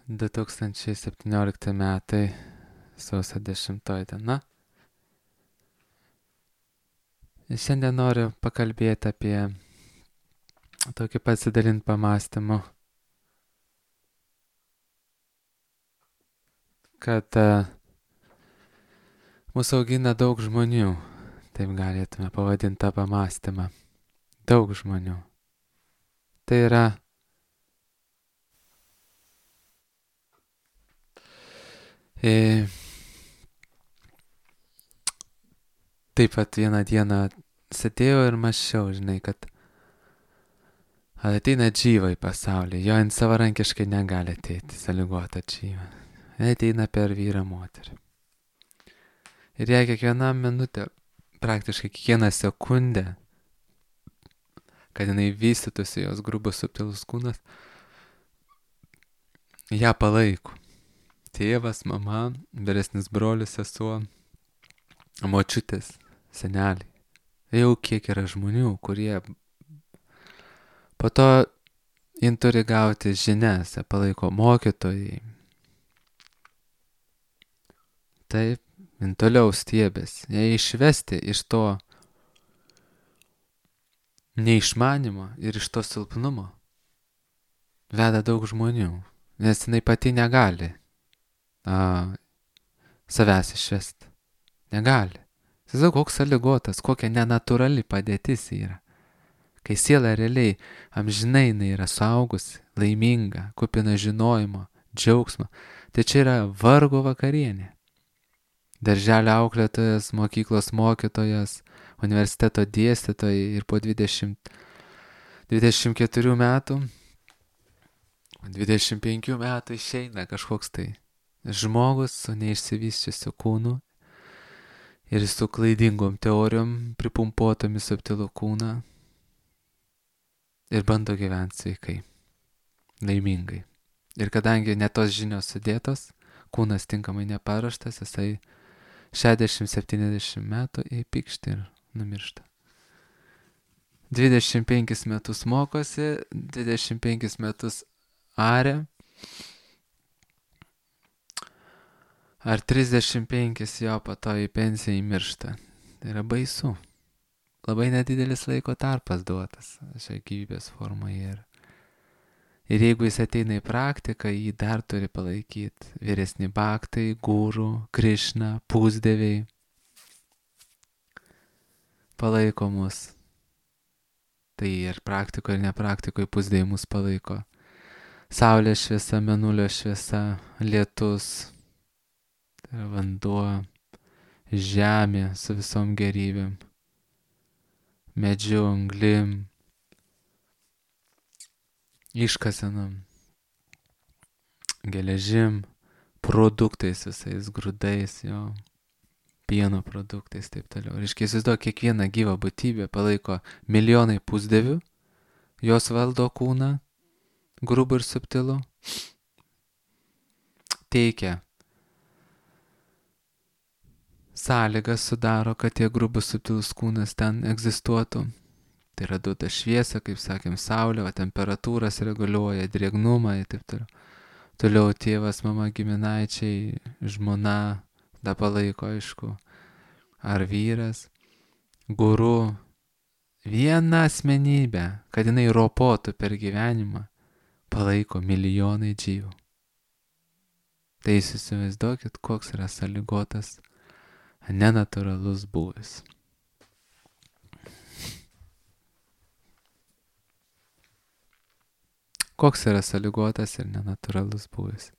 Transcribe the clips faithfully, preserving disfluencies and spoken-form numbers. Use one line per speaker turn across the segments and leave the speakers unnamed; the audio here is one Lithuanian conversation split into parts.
du tūkstančiai septyniolikti metai, sausio dešimtoji diena. Ir šiandien noriu pakalbėti apie tokį pasidalinti pamąstymu, kad uh, mūsų augina daug žmonių, taip galėtume pavadinti tą pamąstymą. Daug žmonių. Tai yra e, taip pat vieną dieną sėdėjau ir mąsčiau, žinai, kad ateina džyva į pasaulį, jo jin savarankiškai negali ateiti, sąlygota džyva. Jie ateina per vyrą moterį. Ir jei kiekvieną minutę, praktiškai kiekvieną sekundę, kad jinai vystytųsi jos grubus subtilus kūnas, ją palaiko. Tėvas, mama, vyresnis brolis, sesuo, močiutės, seneliai. Jau kiek yra žmonių, kurie po to jin turi gauti žinias, palaiko mokytojai. Taip, jin toliau stiebės. Jei išvesti iš to neišmanimo ir iš to silpnumo veda daug žmonių, nes jinai pati negali a, savęs išvesti. Negali. Jis koks sąlygotas, kokia nenatūrali padėtis yra. Kai siela realiai amžinai jinai yra suaugusi, laiminga, kupina žinojimo, džiaugsmo, tai čia yra vargo vakarienė. Darželio auklėtojas, mokyklos mokytojas, universiteto dėstytojai ir po dvidešimt, dvidešimt keturių metų, dvidešimt penkių metų išeina kažkoks tai žmogus su neišsivysčiusiu kūnu ir su klaidingom teorijom pripumpuotomis subtilų kūną ir bando gyventi sveikai, laimingai. Ir kadangi ne tos žinios sudėtos, kūnas tinkamai neparuoštas, jisai šešiasdešimt septyniasdešimt metų įpykšti ir numiršta. dvidešimt penkis metus mokosi, dvidešimt penkis metus aria, ar trisdešimt penkis jo po to į pensiją įmiršta. Tai yra baisu. Labai nedidelis laiko tarpas duotas šiai gyvybės formai. Ir, ir jeigu jis ateina į praktiką, jį dar turi palaikyti vyresni bhaktai, guru, Krišna, pusdieviai. Palaiko mus. Tai ir praktikoje, ir nepraktikoje pusdieviai mus palaiko. Saulės šviesa, mėnulio šviesa, lietus, tai yra vanduo, žemė su visom gerybėm, medžiu, anglim, iškasenom, geležim, produktais visais, grūdais, jo, pieno produktais, taip toliau. Reiškia, įsivaizduok, kiekvieną gyvą būtybę palaiko milijonai pusdievių, jos valdo kūną, grubų ir subtilų, teikia sąlygas, sudaro, kad tie grubus subtilus kūnas ten egzistuotų. Tai yra duoda šviesą, kaip sakėm, saulė, o temperatūras reguliuoja, drėgnumą ir taip toliau. Toliau tėvas, mama, giminaičiai, žmona, da palaiko, aišku, ar vyras, guru, vieną asmenybę, kad jinai ropotų per gyvenimą, palaiko milijonai džyvų. Tai įsivaizduokit, koks yra sąlygotas, nenatūralus būvis. Koks yra sąlygotas ir nenatūralus būvis.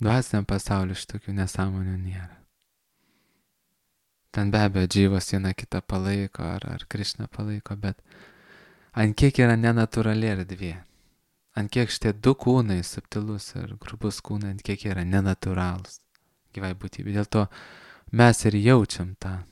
Dvasiniam pasauliu šitokių nesąmonių nėra. Ten be abejo džyvos viena kitą palaiko, ar, ar Krišna palaiko, bet ant kiek yra nenatūrali erdvė. Ant kiek šitie du kūnai, subtilus ir grubus kūnai, ant kiek yra nenatūralus gyvai būtybė. Dėl to mes ir jaučiam tą.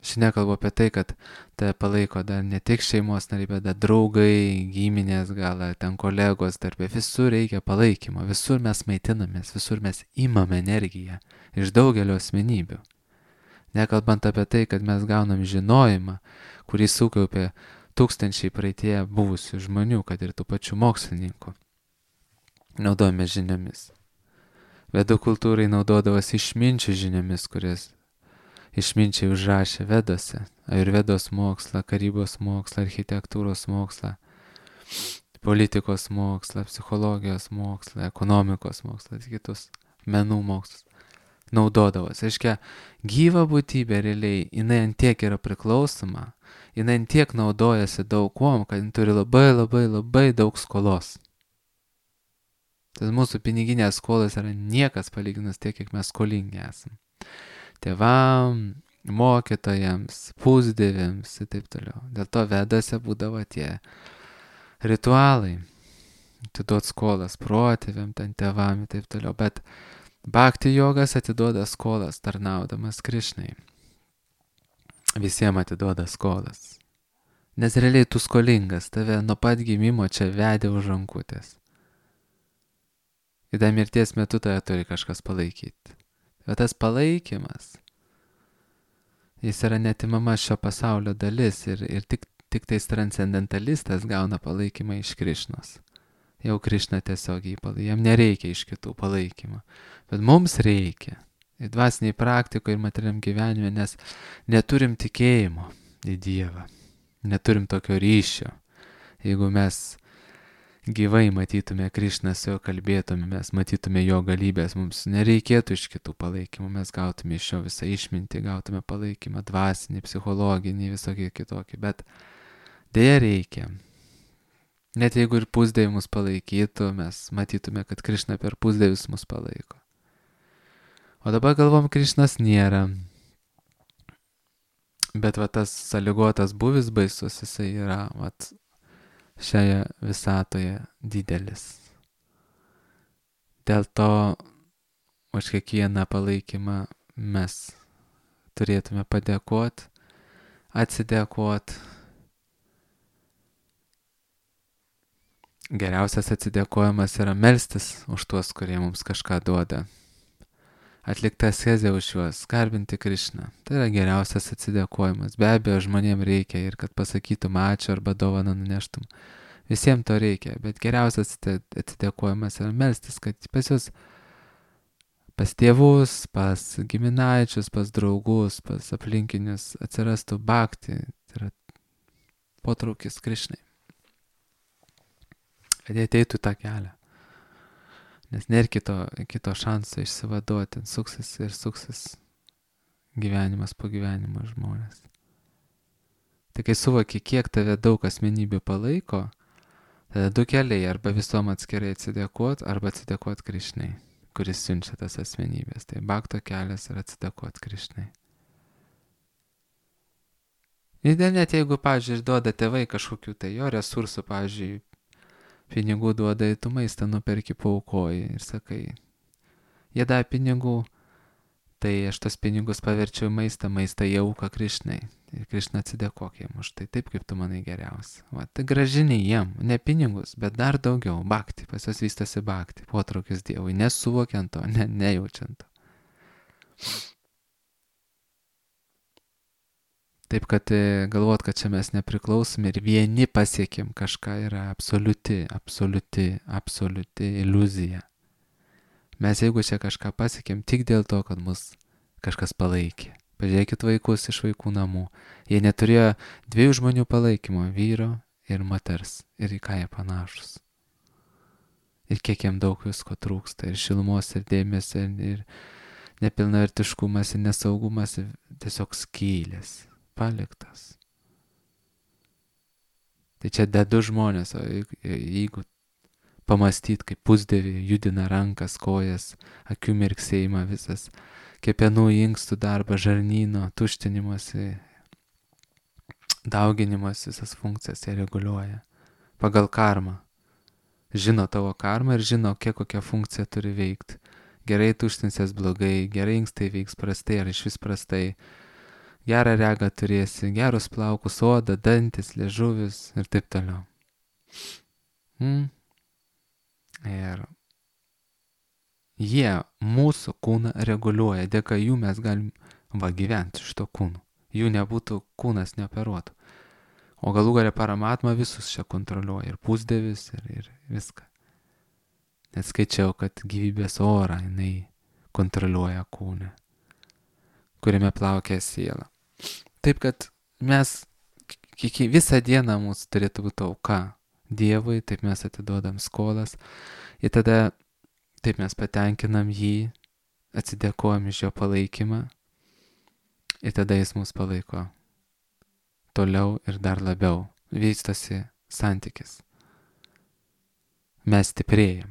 Aš nekalbu apie tai, kad tai palaiko dar ne tik šeimos nariai, bet dar draugai, giminės, gal ten kolegos darbė. Visur reikia palaikymo, visur mes maitinamės, visur mes imame energiją iš daugelio asmenybių. Nekalbant apie tai, kad mes gaunam žinojimą, kurį sukaupė tūkstančiai praeitie buvusių žmonių, kad ir tų pačių mokslininkų. Naudojame žiniomis. Vedų kultūrai naudodavosi išminčių žiniomis, kurias išminčiai užrašė Vedose. Ajurvedos mokslą, karybos mokslą, architektūros mokslą, politikos mokslą, psichologijos mokslą, ekonomikos mokslą, kitus menų mokslus. Naudodavosi. Aiškia, gyva būtybė realiai, jinai antiek yra priklausoma, jinai antiek naudojasi daug kuom, kad jinai turi labai labai labai daug skolos. Tas mūsų piniginės skolas yra niekas palyginus tiek, kiek mes skolingi esam. Tėvam, mokytojams, pusdėviams ir taip toliau. Dėl to Vedose būdavo tie ritualai. Atiduot skolas protėviam, ten tėvam ir taip toliau. Bet Bhakti jogas atiduoda skolas tarnaudamas Krišnai. Visiems atiduoda skolas. Nes realiai tu skolingas, tave nuo pat gimimo čia vedė už rankutės. Ir dar mirties metu tave turi kažkas palaikyti. O tas palaikymas, jis yra netimama šio pasaulio dalis ir, ir tik, tik tais transcendentalistas gauna palaikymą iš Krišnos. Jau Krišna tiesiog jį palaikė, jam nereikia iš kitų palaikymą. Bet mums reikia. Ir dvasiniai praktikoje ir materialiam gyvenime, nes neturim tikėjimo į Dievą. Neturim tokio ryšio. Jeigu mes gyvai matytume Krišną, su jo kalbėtume, mes matytume jo galybės, mums nereikėtų iš kitų palaikymų, mes gautume iš jo visą išmintį, gautume palaikymą dvasinį, psichologinį, visokį kitokį, bet dėja reikia. Net jeigu ir pusdėviai mus palaikytų, mes matytume, kad Krišna per pusdėvius mus palaiko. O dabar galvom, Krišnas nėra. Bet va tas sąlygotas buvis baisus, jisai yra vat šioje visatoje didelis. Dėl to už kiekvieną palaikymą mes turėtume padėkoti, atsidėkoti. Geriausias atsidėkojimas yra melstis už tuos, kurie mums kažką duoda. Atlikta askezė už juos, garbinti Krišną. Tai yra geriausias atsidėkojimas. Be abejo, žmonėms reikia ir kad pasakytum ačiū arba dovaną nuneštum. Visiems to reikia, bet geriausias atsidėkojimas yra melstis, kad pas jūs, pas tėvus, pas giminaičius, pas draugus, pas aplinkinius atsirastų bhakti, tai yra potraukis Krišnai. Kad jie ateitų tą kelią. Nes nėra kito, kito šanso išsivaduoti, suksis ir suksis gyvenimas po gyvenimo žmonės. Tai kai suvoki, kiek tave daug asmenybių palaiko, tada du keliai, arba visom atskirai atsidėkot, arba atsidėkot Krišnai, kuris siunčia tas asmenybės. Tai bhakto kelias yra atsidėkot Krišnai. Ir net jeigu, pavyzdžiui, duoda tėvai kažkokių tai jo resursų, pavyzdžiui, pinigų duoda, tu maistą nuperki, paaukoji ir sakai, jie davė pinigų, tai aš tos pinigus paverčiau maistą, maistą į auką Krišnai. Ir Krišna atsidėkok jiem už tai, taip kaip tu manai geriausia. Va, tai gražiniai jiem, ne pinigus, bet dar daugiau, bhakti, pas jos vystosi bhakti, potraukis Dievui, nesuvokiant to, ne, nejaučiant to. Taip, kad galvot, kad čia mes nepriklausom ir vieni pasiekėm kažką yra absoliuti, absoliuti, absoliuti iliuzija. Mes jeigu čia kažką pasiekėm tik dėl to, kad mus kažkas palaikė. Pažiūrėkit vaikus iš vaikų namų. Jie neturėjo dviejų žmonių palaikymo, vyro ir moters. Ir į ką jie panašus. Ir kiek jiem daug visko trūksta. Ir šilumos, ir dėmesio, ir nepilnavertiškumas, ir nesaugumas, ir tiesiog skylės. Paliktas. Tai čia dedu žmonės, o jeigu pamastyt, kaip pusdėvį judina rankas, kojas, akių mirksėjimą visas, kepenų inkstų darbą, žarnyno, tuštinimuose, dauginimas, visas funkcijas jie reguliuoja. Pagal karmą. Žino tavo karmą ir žino, kiek kokią funkciją turi veikti. Gerai tuštinsies blogai, gerai inkstai veiks prastai ar iš vis prastai. Gerą regą turėsi, gerus plaukus, odą, dantis, liežuvis ir taip toliau. Hmm. Ir jie mūsų kūną reguliuoja, dėka jų mes galim va gyventi šito kūnu. Jų nebūtų, kūnas neoperuotų. O galų galia Paramatma visus čia kontroliuoja, ir pusdievis, ir, ir viską. Net skaičiau, kad gyvybės orą jinai kontroliuoja kūne, kuriame plaukia siela. Taip kad mes, kiek visą dieną mūsų turėtų būti auka Dievui, taip mes atiduodam skolas, ir tada taip mes patenkinam jį, atsidėkojam iš jo palaikymą, ir tada jis mus palaiko toliau ir dar labiau. Vystosi santykis. Mes stiprėjam,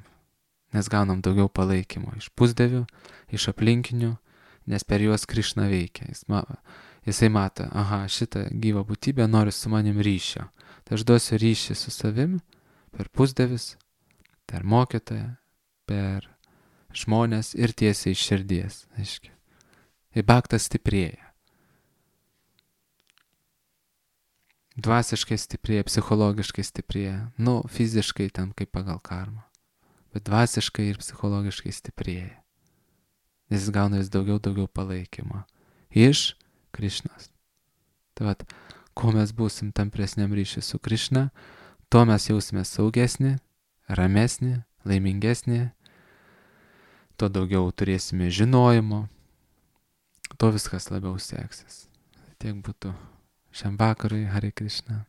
nes gaunam daugiau palaikymo iš pusdievių, iš aplinkinių, nes per juos Krišna veikia. Jis ma, jisai mato, aha, šitą gyvą būtybę nori su manim ryšio. Tai aš duosiu ryšį su savim per pusdievius, per mokytoją, per žmonės ir tiesiai iš širdies. Aiškiai. Ir bhaktas stiprėja. Dvasiškai stiprėja, psichologiškai stiprėja. Nu, fiziškai ten kaip pagal karmą. Bet dvasiškai ir psichologiškai stiprėja. Nes jis gauna vis daugiau, daugiau palaikymo. Iš Krišnos. Tai vat, kuo mes būsim tampresniam ryšiui su Krišna, tuo mes jausime saugesnį, ramesnį, laimingesnį, tuo daugiau turėsime žinojimo, tuo viskas labiau seksis. Tiek būtų šiam vakarui. Hare Krishna.